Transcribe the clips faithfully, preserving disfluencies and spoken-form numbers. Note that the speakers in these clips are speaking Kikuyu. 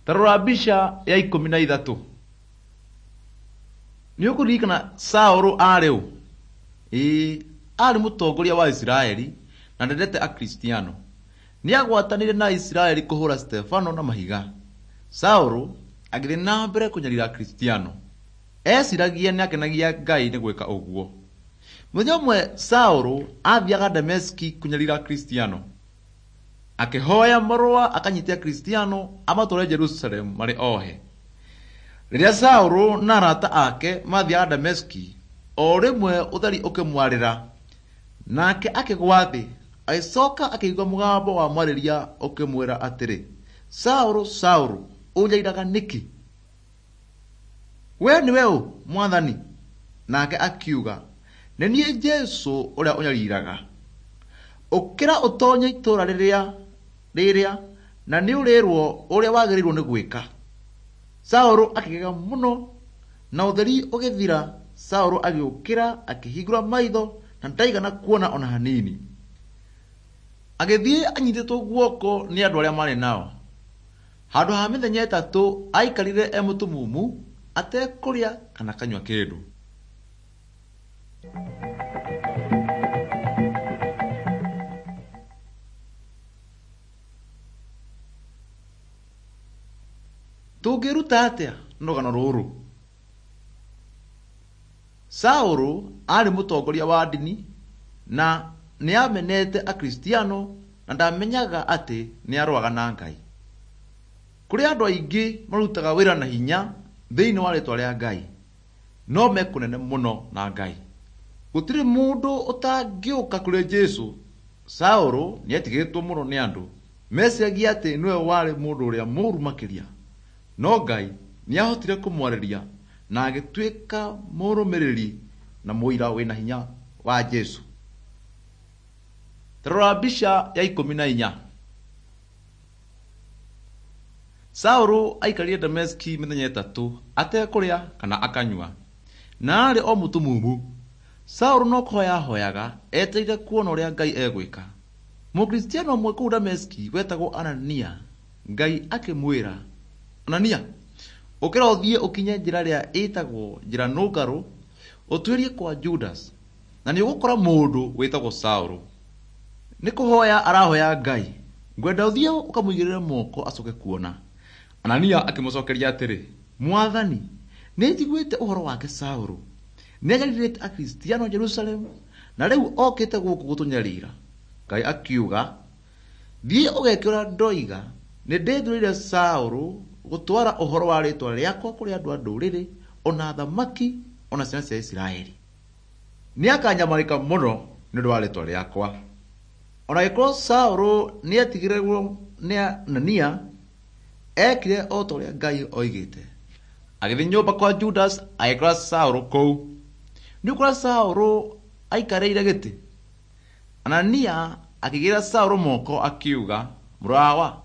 Ta rora mbica ya ikũmi na ithatũ. Nĩ ũkũririkana Saũlũ aarĩ ũ? Ĩĩ, aarĩ mũtongoria wa Isiraeli na ndendete Akristiano. Nĩ agwatanĩire na Isiraeli kũhũra Stefano na mahiga. Saũlũ agĩthiĩ na mbere kũnyarira Akristiano. Eciragia nĩ akenagia Ngai nĩ gwĩka ũguo. Mũthenya ũmwe Saũlũ aathiaga Dameski kũnyarira Akristiano. Akĩhoya marũa akanyite Akristiano amatware Jerusalemu marĩ ohe. Rĩrĩa Saũlũ na arata ake maathiaga Dameski, o rĩmwe ũtheri ũkĩmwarĩra, nake akĩgwa thĩ. Agĩcoka akĩigua mũgambo wamwarĩria ũkĩmwĩra atĩrĩ, Saũlũ, Saũlũ, ũnjairaga nĩkĩ? We nĩwe ũ, Mwathani? Nake akiuga, nĩ niĩ Jesũ ũrĩa ũnyariraga. Ũkĩra ũtonye itũũra rĩrĩa rĩrĩa na nĩ ũrĩrwo ũrĩa wagĩrĩirwo nĩ gwĩka. Saũlũ akĩgega mũno na ũtheri ũgĩthira. Saũlũ agĩũkĩra akĩhingũra maitho na ndaigana kuona ona hanini. Agĩthiĩ anyitĩtwo guoko nĩ andũ arĩa maarĩ nao. Handũ ha mĩthenya ĩtatũ aikarire e mũtumumu atekũrĩa kana akanyua kĩndũ. Tũngĩĩruta atĩa na rũgano rũrũ? Saũlũ aarĩ mũtongoria wa ndini na nĩ aamenete Akristiano na ndamenyaga atĩ nĩ arũaga na Ngai. Kũrĩ andũ aingĩ marutaga wĩra na hinya thĩinĩ wa rĩtwa rĩa Ngai, no me kũnene mũno na Ngai. Gũtirĩ mũndũ ũtangĩũka kũrĩ Jesũ. Saũlũ nĩetigĩrĩtwo mũno nĩ andũ. Meciragia atĩ nĩwe warĩ mũndũ ũrĩa mũũru makĩria. No Ngai nĩahotire kũmwarĩria na agĩtuĩka mũrũmĩrĩri na mũira wĩna hinya wa Jesũ. Ta rora mbica ya ikũmi na inya. Saũlũ aikarire Dameski mĩthenya ĩtatũ atekũrĩa kana akanyua, na aarĩ o mũtumumu. Saũlũ no kũhoya ahoyaga etereire kuona ũrĩa Ngai egwĩka. Mũkristiano ũmwe kũu Dameski wetagwo Anania, Ngai akĩmwĩra, Anania, ũkĩra ũthiĩ ũkinye njĩra ĩrĩa ĩtagwo njĩra nũngarũ ũtuĩrie kwa Judas, na nĩ ũgũkora mũndũ wĩtagwo Saũlũ. Nĩ kũhoya arahoya Ngai. Ngwenda ũthiĩ ũkamũigĩrĩre moko acoke kuona. Anania akĩmũcokeria atĩrĩ, Mwathani, nĩ njiguĩte ũhoro wake Saũlũ. Nĩ anyarirĩte Akristiano Jerusalemu na rĩu okĩte gũkũ gũtũnyarira. Ngai akiuga, thiĩ ũgeke ũrĩa ndoiga, nĩ ndĩthurĩire Saũlũ gũtwara ũhoro wa rĩtwa rĩakwa kũrĩ andũ a ndũrĩrĩ, ona athamaki, ona ciana cia Isiraeli. Nĩ akanyamarĩka mũno nĩ ũndũ wa rĩtwa rĩakwa. Ona gĩkorwo Saũlũ nĩ etigĩrĩrwo nĩ Anania, ekire o ta ũrĩa Ngai oigĩte. Agĩthiĩ nyũmba kwa Judas agĩkora Saũlũ kũu. Nĩ ũkora Saũlũ aikarĩire gĩtĩ. Anania akĩigĩrĩra Saũlũ moko akiuga, mũrawa,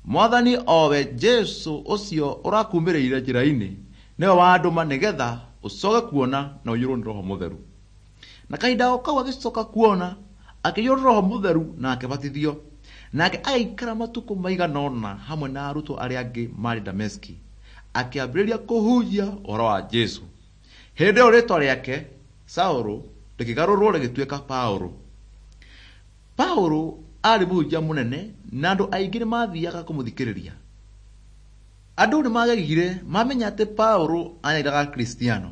Mwathani owe Jesũ ũcio ũrakumĩrĩire njĩra-inĩ nĩwe wandũma nĩgetha ũcoke kuona na ũiyũrwo nĩ Roho Mũtheru. Na kahinda o kau agĩcoka kuona, akĩiyũrwo nĩ Roho Mũtheru na akĩbatithio. Nake agĩikara matukũ maigana ũna hamwe na arutwo arĩa angĩ maarĩ Dameski, akĩambĩrĩria kũhunjia ũhoro wa Jesũ. Hĩndĩ ĩyo rĩtwa rĩake Saũlũ rĩkĩgarũrwo rĩgĩtuĩka Paũlũ. Paũlũ aarĩ mũhunjia mũnene na andũ aingĩ nĩ mathiaga kũmũthikĩrĩria. Andũ nĩ magegire mamenya atĩ Paũlũ anyariraga Akristiano.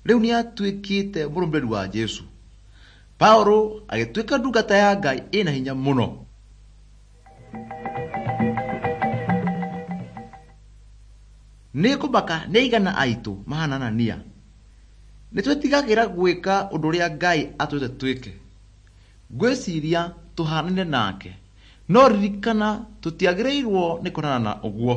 Rĩu nĩ atuĩkĩte mũrũmĩrĩri wa Jesũ. Paũlũ agĩtuĩka ndungata ya Ngai ĩna hinya mũno. Nĩ ngũmaka nĩ aigana aitũ mahana Anania. Nĩ twĩtigagĩra gwĩka ũndũ ũrĩa Ngai atwĩrĩte twĩke. Ngwĩciria tũhanaine nake, no ririkana tũtiagĩrĩirwo nĩ kũhanana na ũguo.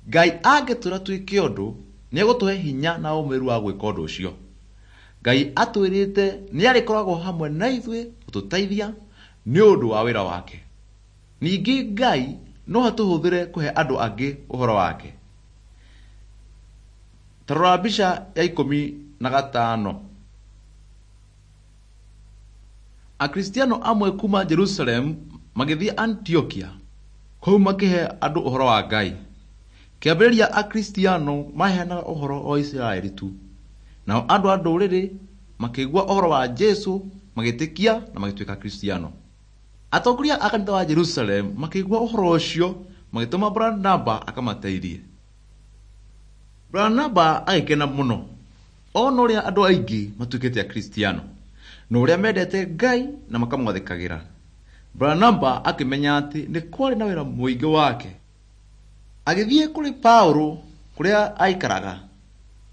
Ngai angĩtwĩra twĩke ũndũ, nĩ egũtũhe hinya na ũmĩrĩru wa gwĩka ũndũ ũcio. Ngai atwĩrĩte nĩ arĩkoragwo hamwe na ithuĩ gũtũteithia nĩ ũndũ wa wĩra wake. Ningĩ Ngai no atũhũthĩre kũhe andũ angĩ ũhoro wake. Ta rora mbica ya ikũmi na gatano. Akristiano amwe kuma Jerusalemu magĩthiĩ Antiokia, kũu makĩhe andũ ũhoro wa Ngai. Kĩambĩrĩria Akristiano maheanaga ũhoro o Isiraeli tu. Nao andũ a ndũrĩrĩ makĩigua ũhoro wa Jesũ magĩtĩkia na magĩtuĩka Akristiano. Atongoria a kanitha wa Jerusalemu makĩigua ũhoro ũcio magĩtũma Baranaba akamateithie. Baranaba agĩkena mũno ona ũrĩa andũ aingĩ matuĩkĩte Akristiano na ũrĩa mendete Ngai na makamwathĩkagĩra. Baranaba akĩmenya atĩ nĩ kwarĩ na wĩra mũingĩ wake. Agĩthiĩ kũrĩ Paũlũ kũrĩa aikaraga,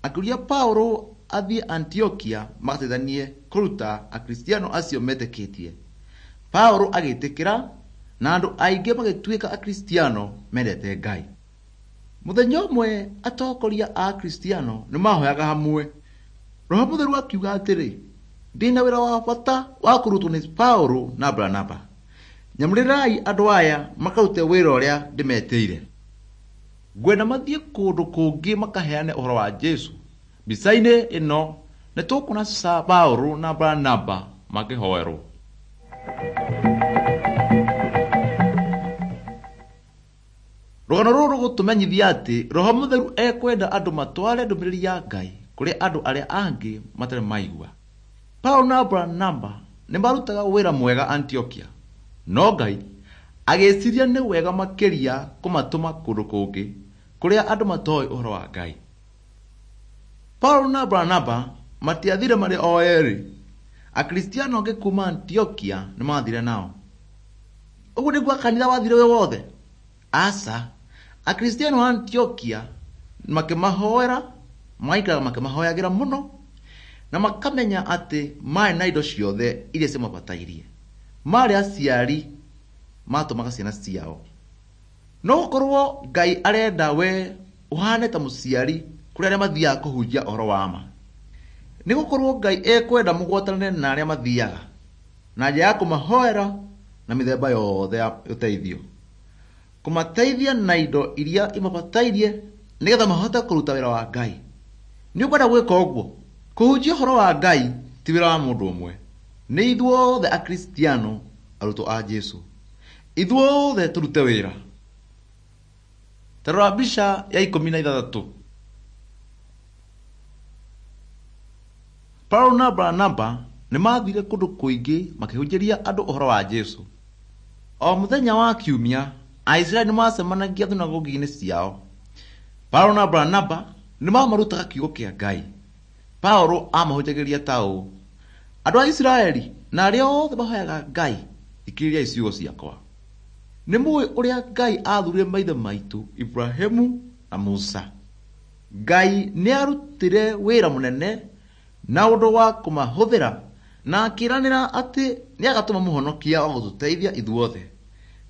akĩũria Paũlũ athiĩ Antiokia magateithanie kũruta Akristiano acio metĩkĩtie. Paũlũ agĩtĩkĩra na andũ aingĩ magĩtuĩka Akristiano mendete Ngai. Mũthenya ũmwe atongoria a Akristiano nĩ mahoyaga hamwe. Roho Mũtheru akiuga atĩrĩ, ndĩna wĩra wa bata wa kũrutwo nĩ Paũlũ na Baranaba. Nyamũrĩrai andũ aya makarute wĩra ũrĩa ndĩmetĩire. Ngwenda mathiĩ kũndũ kũngĩ makaheane ũhoro wa Jesũ. Mbica-inĩ ĩno nĩ tũkuona Paũlũ na Baranaba makĩhoerwo. Rũgano rũrũ rũgũtũmenyithia atĩ Roho Mũtheru ekwenda andũ matware ndũmĩrĩri ya Ngai kũrĩ andũ arĩa angĩ matarĩ maigua. Paũlũ na Baranaba nĩ marutaga wĩra mwega Antiokia, no Ngai agĩciria nĩ wega makĩria kũmatũma kũndũ kũngĩ kũrĩa andũ matoĩ ũhoro wa Ngai. Paũlũ na Baranaba matiathire marĩ o erĩ. Akristiano angĩ kuuma Antiokia nĩ maathire nao. Ũguo nĩguo kanitha wathire wĩ wothe? Aca. Akristiano a Antiokia makĩmahoera, maikaraga makĩmahoyagĩra mũno na makamenya atĩ marĩ na indo ciothe iria ciamabatairie. Marĩ aciari matũmaga ciana ciao. No gũkorwo Ngai arenda we ũhane ta mũciari kũrĩ arĩa mathiaga kũhunjia ũhoro wa ma. Nĩ gũkorwo Ngai ekwenda mũgwatanĩre na arĩa mathiaga na njĩra ya kũmahoera na mĩthemba yothe ya ũteithio, kũmateithia na indo iria imabatairie nĩgetha mahote kũruta wĩra wa Ngai. Nĩ ũkwenda gwĩka ũguo? Kũhunjia ũhoro wa Ngai ti wĩra wa mũndũ ũmwe. Nĩ ithuothe Akristiano arutwo a Jesũ. Ithuothe tũrute wĩra. Ta rora mbica ya ikũmi na ithathatũ. Paũlũ na Baranaba nĩ maathire kũndũ kũingĩ makĩhunjĩria andũ ũhoro wa Jesũ. O mũthenya wa Kiumia, Aisiraeli nĩ macemanagia thunagogi-inĩ ciao. Paũlũ na Baranaba nĩ mamarutaga kiugo kĩa Ngai. Paũlũ aamahunjagĩria ta ũũ: andũ a Isiraeli na arĩa othe mahoyaga Ngai, thikĩrĩriai ciugo ciakwa. Nĩ mũĩ ũrĩa Ngai aathurire maithe maitũ Ibrahimu na Musa. Ngai nĩ aarutire wĩra mũnene na ũndũ wa kũmahũthĩra na akĩĩranĩra atĩ nĩagatũma mũhonokia wa gũtũteithia ithuothe.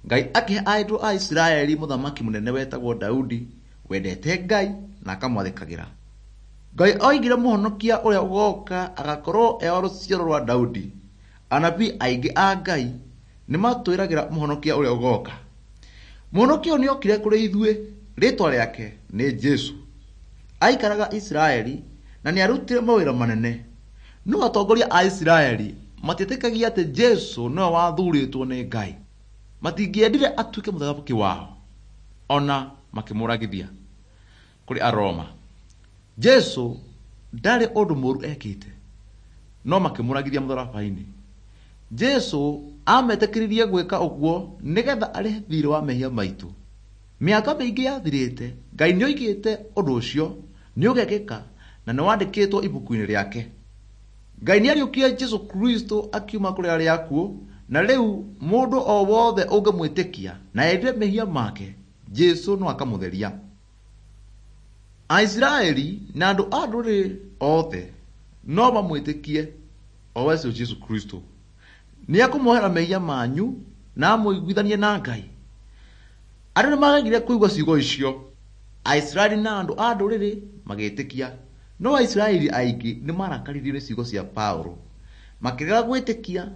Ngai akĩhe andũ a Isiraeli mũthamaki mũnene wetagwo Daudi wendete Ngai na akamwathĩkagĩra. Ngai oigire mũhonokia ũrĩa ũgooka agakorwo e wa rũciaro rwa Daudi. Anabii aingĩ a Ngai nĩ matwĩragĩra mũhonokia ũrĩa ũgooka. Mũhonokia ũyũ nĩokire kũrĩ ithuĩ, rĩĩtwa rĩake nĩ Jesũ. Aikaraga Isiraeli na nĩarutire mawĩra manene. No atongoria a Isiraeli matietĩkagia atĩ Jesũ nĩwe wathurĩtwo nĩ Ngai. Matingĩendire atuĩke mũthamaki wao, ona makĩmũragithia kũrĩ Aroma. Jesũ ndarĩ ũndũ mũũru ekĩte, no makĩmũragithia mũtharaba-inĩ. Jesũ ametĩkĩririe gwĩka ũguo nĩgetha arĩhe thiirĩ wa mehia maitũ. Mĩaka mĩingĩ yathirĩte, Ngai nĩoigĩte ũndũ ũcio nĩũgekĩka na nĩwandĩkĩtwo ibuku-inĩ rĩake. Ngai nĩariũkirie Jesũ Kristo akiuma kũrĩ arĩa akuũ, na rĩu mũndũ o wothe ũngĩmwĩtĩkia na erire mehia make, Jesũ no akamũtheria. Aisiraeli na andũ a ndũrĩrĩ othe no mamwĩtĩkie o we ũcio Jesũ Kristo. Nĩekũmuohera mehia manyu na amũiguithanie na Ngai. Andũ nĩmagegire kũigua ciugo icio. Aisiraeli na andũ a ndũrĩrĩ magĩtĩkia, no Aisiraeli aingĩ nĩmarakaririo nĩ ciugo cia Paũlũ, makĩrega gwĩtĩkia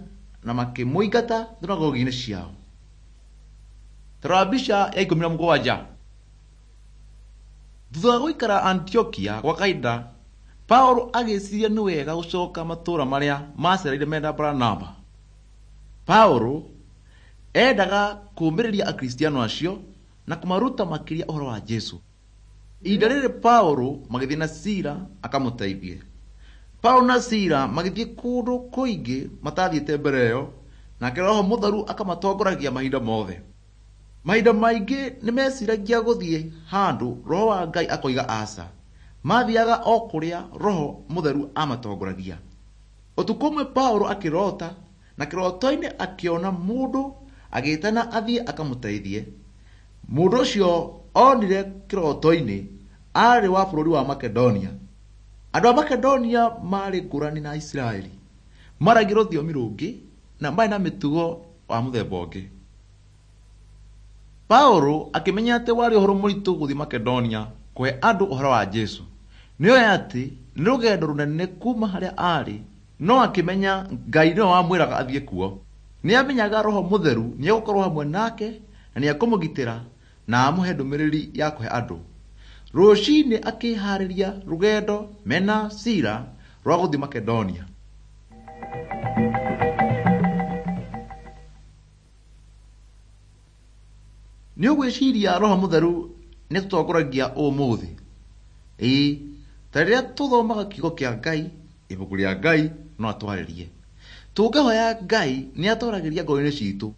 na makĩmũingata thunagogi-inĩ ciao. Ta rora mbica ya ikũmi na mũgwanja. Thutha wa gũikara Antiokia gwa kahinda, Paũlũ agĩciria nĩ wega gũcoka matũũra marĩa macereire mena Baranaba. Paũlũ endaga kũũmĩrĩria Akristiano acio na kũmaruta makĩria ũhoro wa Jesũ. Ihinda rĩrĩ Paũlũ magĩthiĩ na Sila akamũteithie. Paũlũ na Sila magĩthiĩ kũndũ kũingĩ matathiĩte mbere ĩyo, nake Roho Mũtheru akamatongoragia mahinda mothe. Mahinda maingĩ nĩmeciragia gũthiĩ handũ Roho wa Ngai akoiga aca. Mathiaga o kũrĩa Roho Mũtheru amatongoragia. Ũtukũ ũmwe Paũlũ akĩrota, na kĩroto-inĩ akĩona mũndũ agĩtana athiĩ akamũteithie. Mũndũ ũcio onire kĩroto-inĩ aarĩ wa bũrũri wa Makedonia. Andũ a Makedonia maarĩ ngũrani na Isiraeli. Maaragia rũthiomi rũngĩ na maarĩ na mĩtugo wa mũthemba ũngĩ. Paũlũ akĩmenya atĩ warĩ ũhoro mũritũ gũthiĩ Makedonia kũhe andũ ũhoro wa Jesũ. Nĩoĩ atĩ nĩ rũgendo rũnene kuuma harĩa aarĩ, no akĩmenya Ngai nĩwe wamwĩraga athiĩ kuo. Nĩamenyaga Roho Mũtheru nĩegũkorwo hamwe nake na nĩekũmũgitĩra na amũhe ndũmĩrĩri ya kũhe andũ. Rũcinĩ akĩharĩria rũgendo mena Sila rwa gũthiĩ Makedonia. Nĩ ũgwĩciria Roho Mũtheru nĩatũtongoragia ũmũthĩ? Ĩĩ, ta rĩrĩa tũthomaga kiugo kĩa Ngai, ibuku rĩa Ngai no atwarĩrie. Tũngĩhoya Ngai nĩatwaragĩria ngoro-inĩ citũ.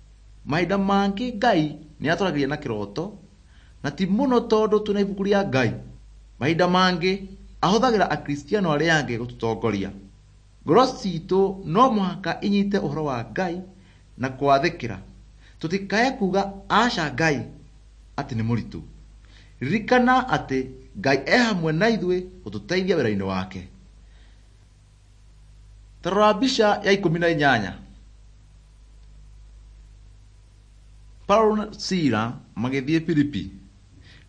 Mahinda mangĩ Ngai nĩatwaragĩria na kĩroto, na ti mũno tondũ twĩna ibuku rĩa Ngai. Mahinda mangĩ ahũthagĩra akristiano arĩa angĩ gũtũtongoria. Ngoro citũ no mũhaka inyite ũhoro wa Ngai na kũwathĩkĩra. Tũtikae kuga aca Ngai atĩ nĩ mũritũ. Ririkana atĩ Ngai e hamwe na ithuĩ gũtũteithia wĩra-inĩ wake. Ta rora mbica ya ikũmi na inyanya. Paũlũ na Sila magĩthiĩ Filipi,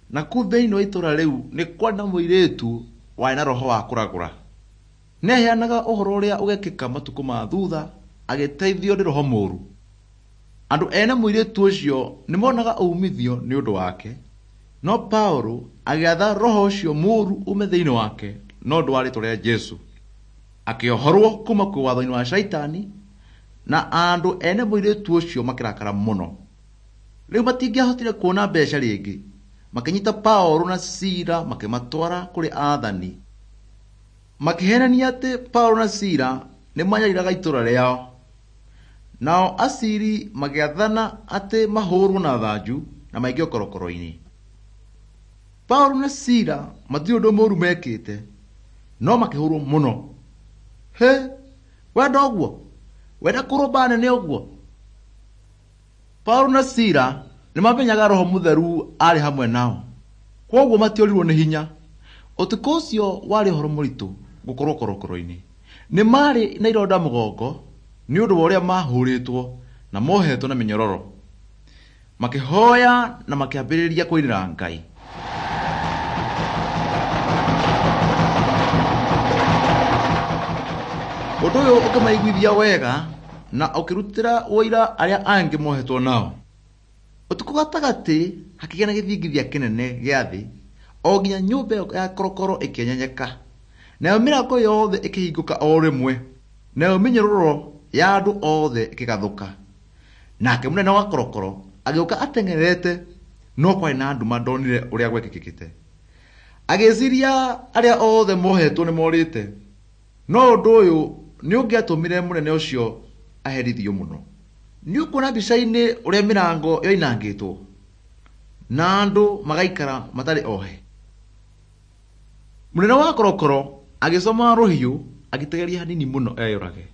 na kũu thĩinĩ wa itũũra rĩu nĩ kwarĩ na mũirĩtu warĩ na roho wa kũragũra. Nĩaheanaga ũhoro ũrĩa ũgekĩka matukũ ma thutha agĩteithio nĩ roho mũũru. Andũ ene mũirĩtu ũcio nĩmonaga uumithio nĩ ũndũ wake, no Paũlũ agĩatha roho ũcio mũũru ume thĩinĩ wake no ũndũ wa rĩĩtwa rĩa Jesũ. Akĩohorwo kuma kwĩ watho-inĩ wa Shaitani, na andũ ene mũirĩtu ũcio makĩrakara mũno. Rĩu matingĩahotire kuona mbeca rĩngĩ, makĩnyita Paũlũ na Sila makĩmatwara kũrĩ aathani. Makĩheenania atĩ Paũlũ na Sila nĩmanyariraga itũũra rĩao. Nao aciri magĩathana atĩ mahũũrwo na thanju na maikio korokoro-inĩ. Paũlũ na Sila matirĩ ũndũ mũũru mekĩte, no makĩhũũrwo mũno. Hĩ, wenda ũguo? Wenda kũrũmba nene ũguo? Paũlũ na Sila nĩmamenyaga Roho Mũtheru aarĩ hamwe nao, kwoguo matiorirwo nĩ hinya. Ũtukũ ũcio warĩ ũhoro mũritũ gũkorwo korokoro-inĩ. Nĩ maarĩ na ironda mũgongo nĩ ũndũ wa ũrĩa mahũrĩtwo na mohetwo na mĩnyororo. Makĩhoya na makĩambĩrĩria kũinĩra Ngai. Ũndũ ũyũ ũkĩmaiguithia wega na ũkĩrutĩra ũira arĩa angĩ mohetwo nao. Ũtukũ gatagatĩ hakĩgĩa na gĩthingithia kĩnene gĩa thĩ o nginya nyũmba ĩyo ya korokoro ĩkĩenyenyeka. Nayo mĩrango yothe ĩkĩhingũka o rĩmwe, nayo mĩnyororo ya andũ othe ĩkĩgathũka. Nake mũnene wa korokoro agĩũka ateng'erete, no kwarĩ na nduma ndonire ũrĩa gwekĩkĩte. Agĩciria arĩa othe mohetwo nĩmorĩte, no ũndũ ũyũ nĩ ũngĩatũmire mũnene ũcio aherithio mũno. Nĩ ũkuona mbica-inĩ ũrĩa mĩrango yoinangĩtwo na andũ magaikara matarĩ ohe. Mũnene wa korokoro agĩcomora rũhiũ agĩtegeria hanini mũno eyũrage.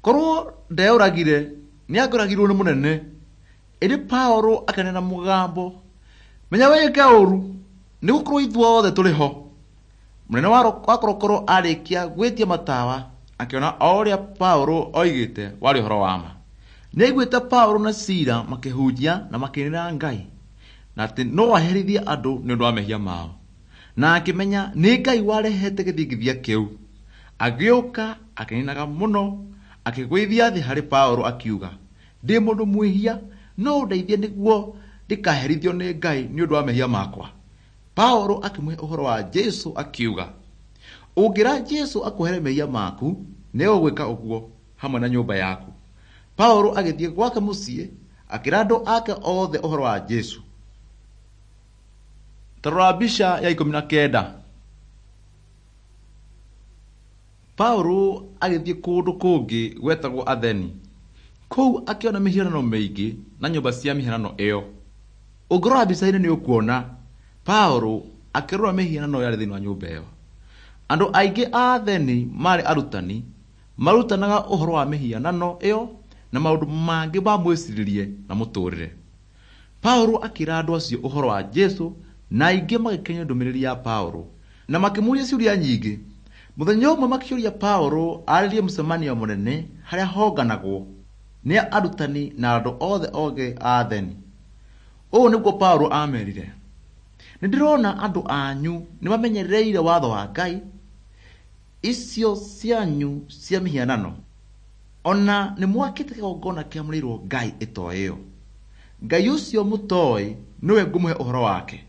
Korwo ndeyũragire nĩangĩoragirwo nĩ mũnene. Ĩndĩ Paũlũ akĩaria na mũgambo, menya wĩke ũũru nĩgũkorwo ithuothe tũrĩ ho. Mũnene wa korokoro arĩkia gwĩtia matawa akĩona o ũrĩa Paũlũ oigĩte warĩ ũhoro wa ma. Nĩaiguĩte Paũlũ na Sila makĩhunjia na makĩinĩra Ngai, na atĩ no aherithie andũ nĩ ũndũ wa mehia mao. Na akĩmenya nĩ Ngai warehete gĩthingithia kĩu. Agĩũka akĩinaga mũno, akĩgũithia thĩ harĩ Paũlũ akiuga, ndĩ mũndũ mwĩhia, no ũndeithie nĩguo ndikaherithio nĩ Ngai nĩ ũndũ wa mehia makwa. Paũlũ akĩmũhe ũhoro wa Jesũ akiuga, ũngĩra Jesũ akuohere mehia maku, nĩegũgwĩka ũguo hamwe na nyũmba yaku. Paũlũ agĩthiĩ gwake mũciĩ akĩra andũ ake othe ũhoro wa Jesũ. Ta rora mbica ya ikũmi na kenda. Paũlũ agĩthiĩ kũndũ kũngĩ gwetagwo Atheni. Kũu akĩona mĩhianano mĩingĩ na nyũmba cia mĩhianano ĩyo. Ũngĩrora mbica-inĩ nĩ ũkuona Paũlũ akĩrora mĩhianano yarĩ thĩinĩ wa nyũmba ĩyo. Andũ aingĩ a Atheni maarĩ arutani, marutanaga ũhoro wa mĩhianano ĩyo na maũndũ mangĩ ma mwĩcirĩrie na mũtũũrĩre. Paũlũ akĩra andũ acio ũhoro wa Jesũ na aingĩ magĩkenio ndũmĩrĩri ya Paũlũ na makĩmũũria ciũria nyingĩ. Mũthenya ũmwe makĩũria Paũlũ arĩrie mũcemanio mũnene harĩa honganagwo nĩ arutani na andũ othe ogĩ a Atheni. Ũũ nĩguo Paũlũ aamerire, nĩ ndĩrona andũ anyu nĩ mamenyereire watho wa Ngai, icio cianyu cia mĩhianano, ona nĩ mwakĩte kĩgongona kĩamũrĩirwo Ngai ĩtoĩyo. Ngai ũcio mũtoĩ nĩwe ngũmũhe ũhoro wake.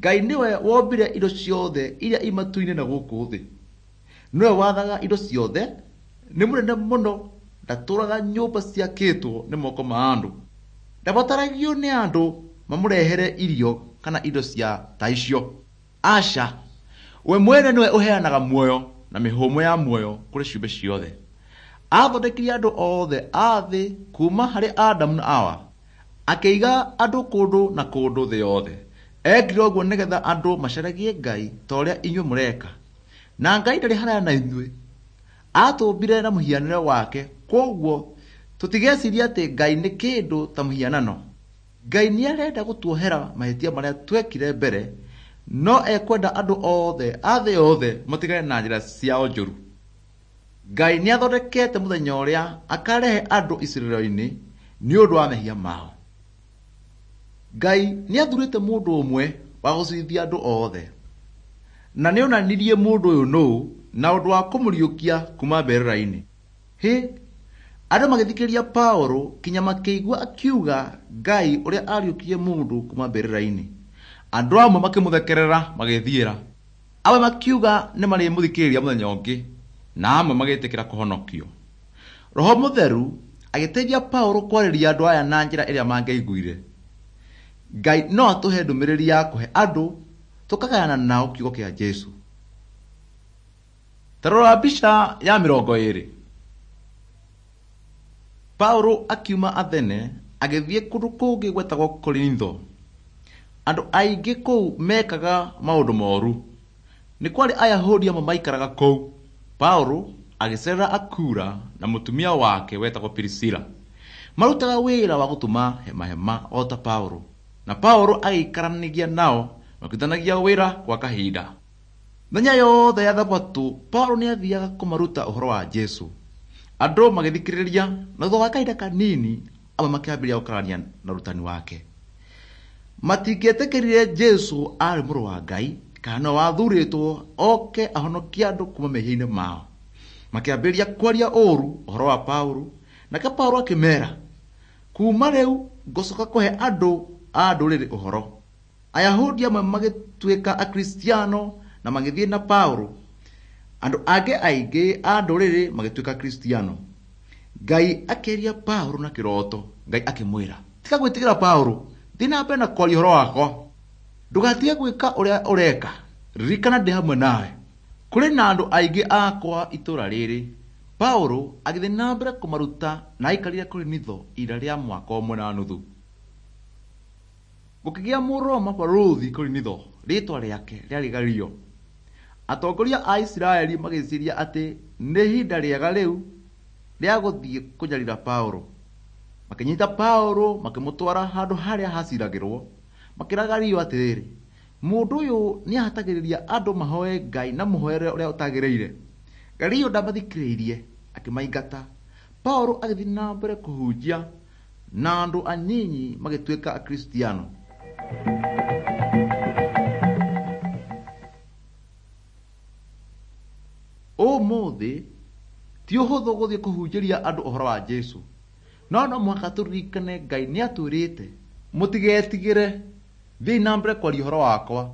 Ngai nĩwe wombire indo ciothe iria i matu-inĩ na gũkũ thĩ. Nĩwe wathaga indo ciothe, nĩ mũnene mũno, ndatũũraga nyũmba ciakĩtwo nĩ moko ma andũ. Ndabataragio nĩ andũ mamũrehere irio kana indo cia ta icio. Aca, we mwene nĩwe ũheanaga muoyo na mĩhũmũ ya muoyo kũrĩ ciũmbe ciothe. Aathondekire andũ othe a thĩ kuuma harĩ Adamu na Awa, akĩiga andũ kũndũ na kũndũ thĩ yothe. Eekire ũguo nĩgetha andũ macaragie Ngai ta ũrĩa inyuĩ mũreka. Na Ngai ndarĩ haraya na inyuĩ. Aatũmbire na mũhianĩre wake, kwoguo tũtigecirie atĩ Ngai nĩ kĩndũ ta mũhianano. Ngai nĩ arenda gũtuohera mahĩtia marĩa twekire mbere, no ekwenda andũ othe a thĩ yothe matigane na njĩra ciao njũru. Ngai nĩ athondekete mũthenya ũrĩa akarehe andũ icirĩro-inĩ nĩ ũndũ wa mehia mao. Ngai nĩ athurĩte mũndũ ũmwe wa gũcirithia andũ othe, na nĩ onanirie mũndũ ũyũ nũũ na ũndũ wa kũmũriũkia kuuma mbĩrĩra-inĩ. Hĩ, andũ magĩthikĩrĩria Paũlũ kinya makĩigua akiuga Ngai ũrĩa ariũkirie mũndũ kuuma mbĩrĩra-inĩ. Andũ amwe makĩmũthekerera magĩthiĩra, amwe makiuga nĩ marĩmũthikĩrĩria mũthenya ũngĩ, na amwe magĩtĩkĩra kũhonokio. Roho Mũtheru agĩteithia Paũlũ kwarĩria andũ aya na njĩra ĩrĩa mangĩaiguire. Ngai no atũhe ndũmĩrĩri ya kũhe andũ tũkagayana nao kiugo kĩa Jesũ. Ta rora mbica ya mĩrongo ĩĩrĩ. Paũlũ akiuma Athene agĩthiĩ kũndũ kũngĩ gwetagwo Korintho. Andũ aingĩ kũu meekaga maũndũ moru. Nĩ kwarĩ Ayahudi amwe maikaraga kũu. Paũlũ agĩceerera Akura na mũtumia wake wetagwo Pirisila. Marutaga wĩra wa gũtuma hema hema o ta Paũlũ. Na Paũlũ agĩikaranagia nao makĩrutithanagia wĩra gwa kahinda. Mĩthenya yothe ya Thabatũ Paũlũ nĩathiaga kũmaruta ũhoro wa Jesũ. Andũ magĩthikĩrĩria, na thutha wa kahinda kanini amwe makĩambĩrĩria gũkararania na ũrutani wake. Matingĩetĩkĩrire Jesũ aarĩ mũrũ wa Ngai kana nĩwe wathurĩtwo oke ahonokie andũ kuuma mehia-inĩ mao. Makĩambĩrĩria kwaria ũũru ũhoro wa Paũlũ, nake Paũlũ akĩmeera, kuuma rĩu ngũcoka kũhe andũ a ndũrĩrĩ ũhoro. Ayahudi amwe magĩtuĩka Akristiano na magĩthiĩ na Paũlũ. Andũ angĩ aingĩ a ndũrĩrĩ magĩtuĩka Akristiano. Ngai akĩaria Paũlũ na kĩroto. Ngai akĩmwĩra, tiga gwĩtigĩra Paũlũ, thiĩ na mbere na kwaria ũhoro wakwa. Ndũgatige gwĩka ũrĩa ũreka, ririkana ndĩ hamwe nawe. Kũrĩ na andũ aingĩ akwa itũũra rĩrĩ. Paũlũ agĩthiĩ na mbere kũmaruta na aikarire Korintho ihinda rĩa mwaka ũmwe na nuthu. Gũkĩgĩa Mũroma barũthi Korintho, rĩĩtwa rĩake rĩarĩ Galio. Atongoria a Isiraeli magĩciiria atĩ nĩ ihinda rĩega rĩu rĩa gũthiĩ kũnyarira Paũlũ. Makĩnyita Paũlũ makĩmũtwara handũ harĩa haciiragĩrwo, makĩĩra Galio atĩrĩrĩ, mũndũ ũyũ nĩahatagĩrĩria andũ mahoe Ngai na mũhoere ũrĩa ũtagĩrĩire. Galio ndamathikĩrĩirie, akĩmaingata. Paũlũ agĩthiĩ na mbere kũhunjia na andũ anyinyi magĩtuĩka Akristiano. Ũmũthĩ ti ũhũthũ gũthiĩ kũhunjĩria andũ ũhoro wa Jesũ, no no mũhaka tũririkane Ngai nĩatwĩrĩte mũtigetigĩre, thiĩi na mbere kwaria ũhoro wakwa,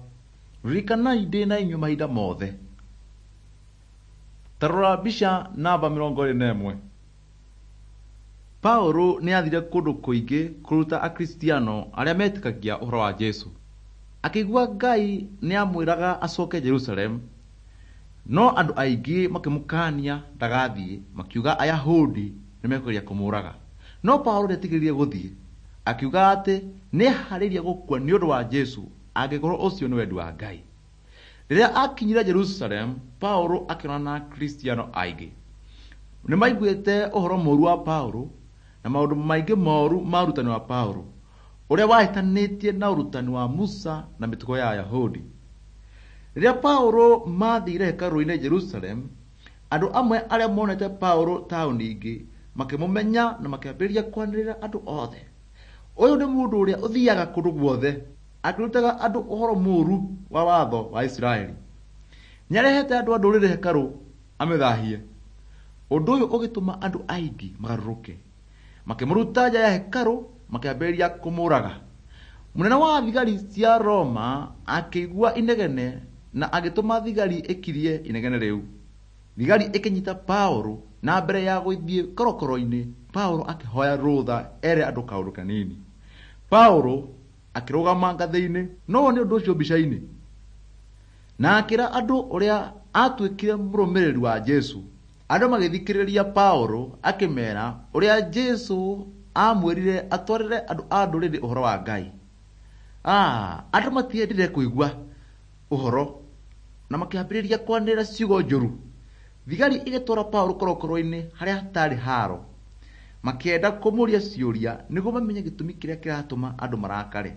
ririkanai ndĩ na inyuĩ mahinda mothe. Ta rora mbica namba mĩrongo ĩĩrĩ na ĩmwe. Paũlũ nĩathire kũndũ kũingĩ kũruta Akristiano arĩa metĩkagia ũhoro wa Jesũ. Akĩigua Ngai nĩamwĩraga acoke Jerusalemu, no andũ aingĩ makĩmũkaania ndagathiĩ, makiuga Ayahudi nĩmekũgeria kũmũũraga. No Paulo ndeetigĩrire gũthiĩ, akiuga atĩ nĩeharĩirie gũkua nĩ ũndũ wa Jesũ angĩkorwo ũcio nĩ wendi wa Ngai. Rĩrĩa aakinyire Jerusalemu, Paulo akĩonana na Akristiano aingĩ. Nĩmaiguĩte ũhoro mũũru wa Paulo na maũndũ maingĩ moru ma ũrutani wa Paulo, ũrĩa wahĩtanĩtie na ũrutani wa Musa na mĩtugo ya Ayahudi. Rĩrĩa Paulo maathire hekarũ-inĩ Jerusalemu, andũ amwe arĩa monete Paulo taũni ingĩ makĩmũmenya na makĩambĩrĩria kwanĩrĩra andũ othe, ũyũ nĩ mũndũ ũrĩa ũthiaga kũndũ guothe akĩrutaga andũ ũhoro mũũru wa watho wa Isiraeli. Nĩarehete andũ a ndũrĩrĩ hekarũ amĩthahie. Ũndũ ũyũ ũgĩtũma andũ aingĩ magarũrũke, makĩmũruta nja ya hekarũ makĩambĩrĩria kũmũũraga. Mũnene wa thigari cia Roma akĩigua inegene na agĩtũma thigari ĩkirie inegene rĩu. Thigari ĩkĩnyita Paulo na mbere ya gũthiĩ korokoro-inĩ, Paulo akĩhoya rũtha ere andũ kaũndũ kanini. Paulo akĩrũgama ngathĩ-inĩ, no wone ũndũ ũcio mbica-inĩ, na akĩra andũ ũrĩa atuĩkire mũrũmĩrĩri wa Jesũ. Andũ magĩthikĩrĩria Paulo akĩmeera ũrĩa Jesũ aamwĩrire atwarĩre andũ a ndũrĩrĩ ũhoro wa Ngai. Ah, andũ matiendire kũigua ũhoro na makĩambĩrĩria kwanĩrĩra ciugo njũru. Thigari ĩgĩtwara Paulo korokoro-inĩ harĩa hatarĩ haro, makĩenda kũmũũria ciũria nĩguo mamenye gĩtũmi kĩrĩa kĩratũma andũ marakare.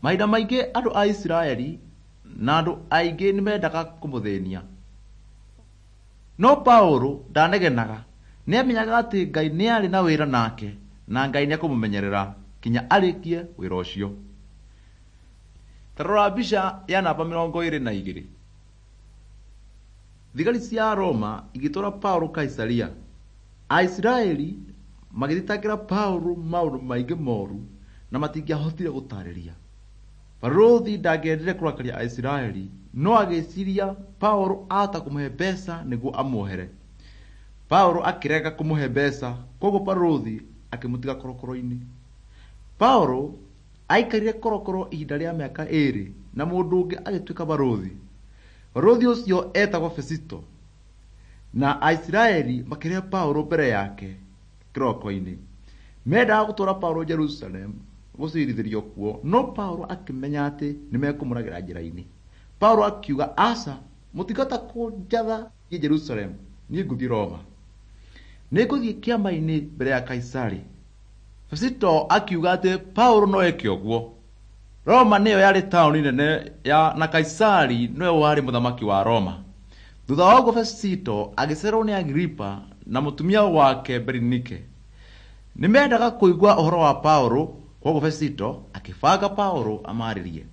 Mahinda maingĩ andũ a Isiraeli na andũ aingĩ nĩmendaga kũmũthĩnia. No Paulo ndanegenaga, nĩamenyaga atĩ Ngai nĩarĩ na wĩra nake na Ngai nĩekũmũmenyerera kinya arĩkie wĩra ũcio. Ta rora mbica ya namba mĩrongo ĩrĩ na igĩrĩ. Thigari cia Roma igĩtwara Paulo Kaisaria. Aisiraeli magĩthitangĩra Paulo maũndũ maingĩ moru na matingĩahotire gũtaarĩria. Barũthi ndangĩendire kũrakaria Aisiraeli, no agĩciria Paulo ahota kũmũhe mbeca nĩguo amuohere. Paulo akĩrega kũmũhe mbeca, koguo barũthi akĩmũtiga korokoro-inĩ. Paulo aikarire korokoro ihinda rĩa mĩaka ĩĩrĩ na mũndũ ũngĩ agĩtuĩka barũthi. Barũthi ũcio etagwo Fesito, na Aisiraeli makĩrehe Paulo mbere yake kĩroko-inĩ. Mendaga gũtwara Paulo Jerusalemu gũcirithĩrio kuo, no Paulo akĩmenya atĩ nĩmekũmũragĩra njĩra-inĩ. Paulo akiuga, aca, mũtingĩhota kũnjatha thiĩ Jerusalemu, niĩ ngũthiĩ Roma. Nĩngũthiĩ kĩama-inĩ mbere ya Kaisari. Fesito akiuga atĩ Paulo no eke ũguo. Roma nĩyo yarĩ taũni nene ya na Kaisari nĩwe warĩ mũthamaki wa Roma. Thutha wa ũguo Fesito agĩcererwo nĩ Agiripa na mũtumia wake Berinike. Nĩmendaga kũigua ũhoro wa Paulo, koguo Fesito akĩbanga Paulo amaarĩrie.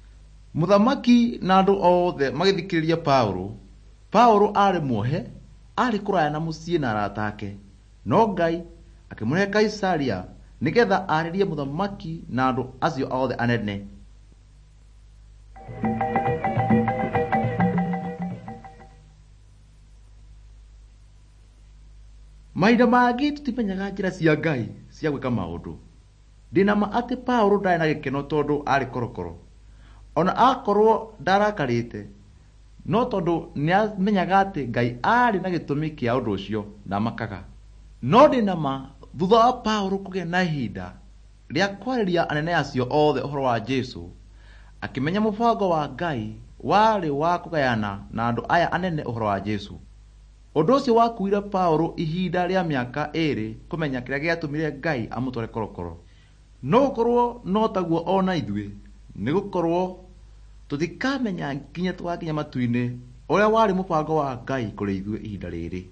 Mũthamaki na andũ othe magĩthikĩrĩria Paulo. Paulo aarĩ muohe, aarĩ kũraya na mũciĩ na arata ake. No Ngai akĩmũrehe Kaisaria nĩgetha aarĩrie mũthamaki na andũ acio othe anene. Mahinda mangĩ tũtimenyaga njĩra cia Ngai cia gwĩka maũndũ. Ndĩna ma atĩ Paulo ndarĩ na gĩkeno tondũ aarĩ korokoro. Ona akorwo ndarakarĩte, no tondũ nĩamenyaga atĩ Ngai aarĩ na gĩtũmi kĩa ũndũ ũcio, ndamakaga. No ndĩna ma thutha wa Paulo kũgĩa na ihinda rĩa kwarĩria anene acio othe ũhoro wa Jesũ, akĩmenya mũbango wa Ngai warĩ wa kũgayana na andũ aya anene ũhoro wa Jesũ. Ũndũ ũcio wakuire Paulo ihinda rĩa mĩaka ĩĩrĩ kũmenya kĩrĩa gĩatũmire Ngai amũtware korokoro. No gũkorwo no taguo ona ithuĩ, nĩgũkorwo tũtikamenya nginya tũgakinya matu-inĩ ũrĩa warĩ mũbango wa Ngai kũrĩ ithuĩ ihinda rĩrĩ.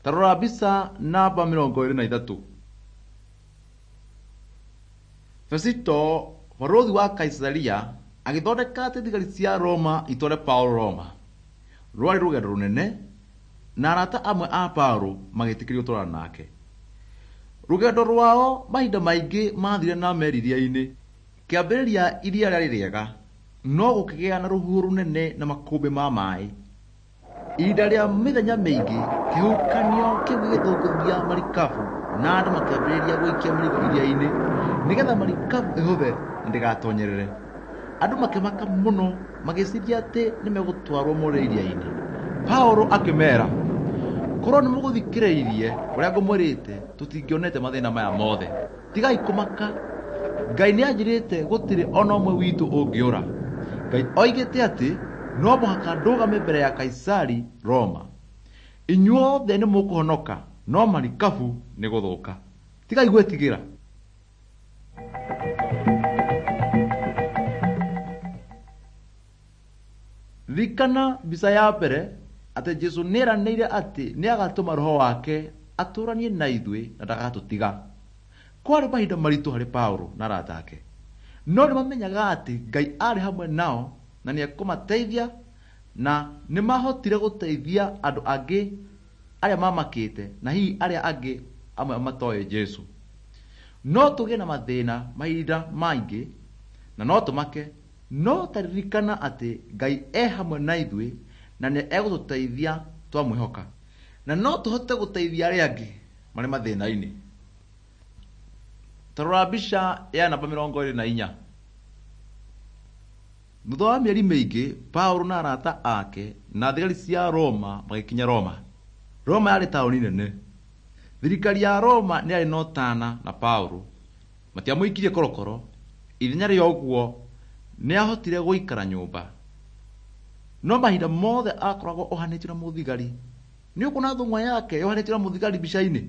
Ta rora mbica namba mĩrongo ĩrĩ na ithatũ. Fesito, barũthi wa Kaisaria, agĩthondeka atĩ thigari cia Roma itware Paulo Roma. Rwarĩ rũgendo rũnene na arata amwe a Paulo magĩtĩkĩrio gũtwarana nake. Rũgendo rwao mahinda maingĩ mathire na meri iria-inĩ. Kĩambĩrĩria iria rĩarĩ rĩega, no gũkĩgĩa na rũhuho rũnene na makũmbĩ ma maĩ. Ihinda rĩa mĩthenya mĩingĩ, kĩhuhũkanio kĩu gĩgĩthũngũthia marikabu na andũ makĩambĩrĩria gũikia mĩrigo iria-inĩ nĩgetha marikabu ĩhũthe na ndĩgatonyerere. Andũ makĩmaka mũno magĩciria atĩ nĩmegũtwarwo more iria-inĩ. Paũlũ akĩmeera, korwo nĩ mũgũthikĩrĩirie ũrĩa ngũmwĩrĩte tũtingĩonete mathĩna maya mothe. Tigai kũmaka, Ngai nĩ anjĩrĩte gũtirĩ ona ũmwe witũ ũngĩũra. Ngai oigĩte atĩ no mũhaka ndũgame mbere ya Kaisari Roma. Inyuothe nĩ mũkũhonoka, no marikabu nĩ gũthũka. Tigai gwĩtigĩra. Ririkana mbica ya mbere atĩ Jesũ nĩeranĩire atĩ nĩagatũma roho wake atũranie na ithuĩ na ndagatũtiga. Kwarĩ mahinda maritũ harĩ Paũlũ na arata ake, no nĩmamenyaga atĩ Ngai arĩ hamwe nao na nĩekũmateithia, na nĩmahotire gũteithia andũ angĩ arĩa mamakĩte na hihi arĩa angĩ amwe matoĩ Jesũ. No tũgĩe na mathĩna mahinda maingĩ na no tũmake, no taririkana atĩ Ngai e hamwe na ithuĩ na nĩ egũtũteithia twamwĩhoka, na no tũhote gũteithia arĩa angĩ marĩ mathĩna-inĩ. Ta rora mbica ya namba mĩrongo ĩrĩ na inya. Thutha wa mĩeri mĩingĩ, Paũlũ na arata ake na thigari cia Roma magĩkinya Roma. Roma yarĩ taũni nene. Thirikari ya Roma nĩ yarĩ na ũtana na Paũlũ. Matiamũikirie korokoro. Ithenya rĩa ũguo nĩahotire gũikara nyũmba. No mahinda mothe akoragwo ohanĩtio na mũthigari. Nĩ ũkuona thũng'wa yake yohanĩtio na mũthigari mbica-inĩ?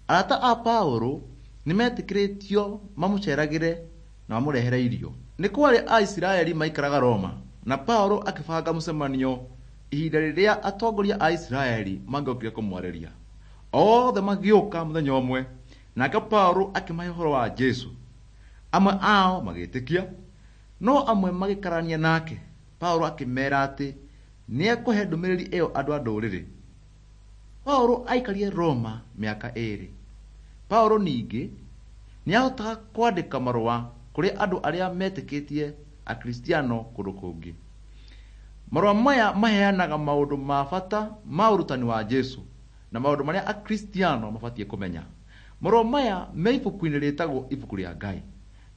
Arata a Paũlũ nĩmetĩkĩrĩtio mamũceragĩre na mamũrehere irio. Nĩ kwarĩ Aisiraeli maikaraga Roma, na Paũlũ akĩbanga mũcemanio ihinda rĩrĩa atongoria a Isiraeli mangĩokire kũmwarĩria. Othe magĩũka mũthenya ũmwe, nake Paũlũ akĩmahe ũhoro wa Jesũ. Amwe ao magĩtĩkia, no amwe magĩkararania nake. Paũlũ akĩmeera atĩ nĩekũhe ndũmĩrĩri ĩyo andũ a ndũrĩrĩ. Paũlũ aikarire Roma mĩaka ĩĩrĩ. Paũlũ ningĩ nĩahotaga kwandĩka marũa kũrĩ andũ arĩa metĩkĩtie Akristiano kũndũ kũngĩ. Marũa maya maheanaga maũndũ ma bata ma ũrutani wa Jesũ na maũndũ marĩa Akristiano mabatiĩ kũmenya. Marũa maya me ibuku-inĩ rĩtagwo Ibuku rĩa Ngai,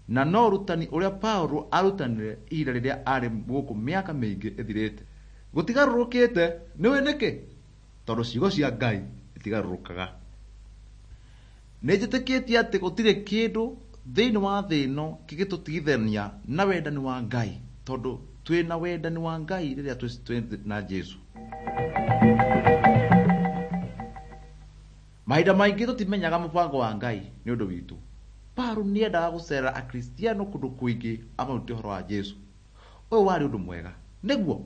na no ũrutani ũrĩa Paũlũ arutanire ihinda rĩrĩa arĩ gũkũ mĩaka mĩingĩ ĩthirĩte. Gũtigarũrũkĩte, nĩũĩ nĩkĩ? Tondũ ciugo cia Ngai itigarũrũkaga. Nĩ njĩtĩkĩtie atĩ gũtirĩ kĩndũ thĩinĩ wa thĩ ĩno kĩngĩtũtigithania na wendani wa Ngai, tondũ twĩna wendani wa Ngai rĩrĩa twĩ na Jesũ. Mahinda maingĩ tũtimenyaga mũbango wa Ngai nĩ ũndũ witũ. Paũlũ nĩendaga gũcerera Akristiano kũndũ kũingĩ amarute ũhoro wa Jesũ. Ũyũ warĩ ũndũ mwega, nĩguo?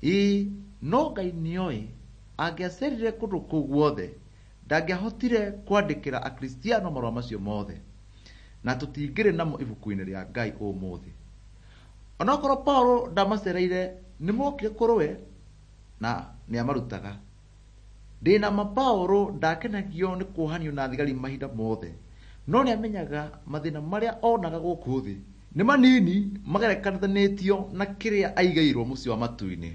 Ĩĩ, no Ngai nĩoĩ angĩacerire kũndũ kũu guothe ndangĩahotire kwandĩkĩra Akristiano marũa macio mothe, na tũtingĩrĩ namo ibuku-inĩ rĩa Ngai ũmũthĩ. Onokorwo Paũlũ ndamacereire, nĩmokire kũrĩ we na nĩamarutaga. Ndĩna ma Paũlũ ndakenagio nĩ kuohanio na thigari mahinda mothe, no nĩamenyaga mathĩna marĩa onaga gũkũ thĩ nĩ manini magerekanĩtio na kĩrĩa aigĩirwo mũciĩ wa matu-inĩ.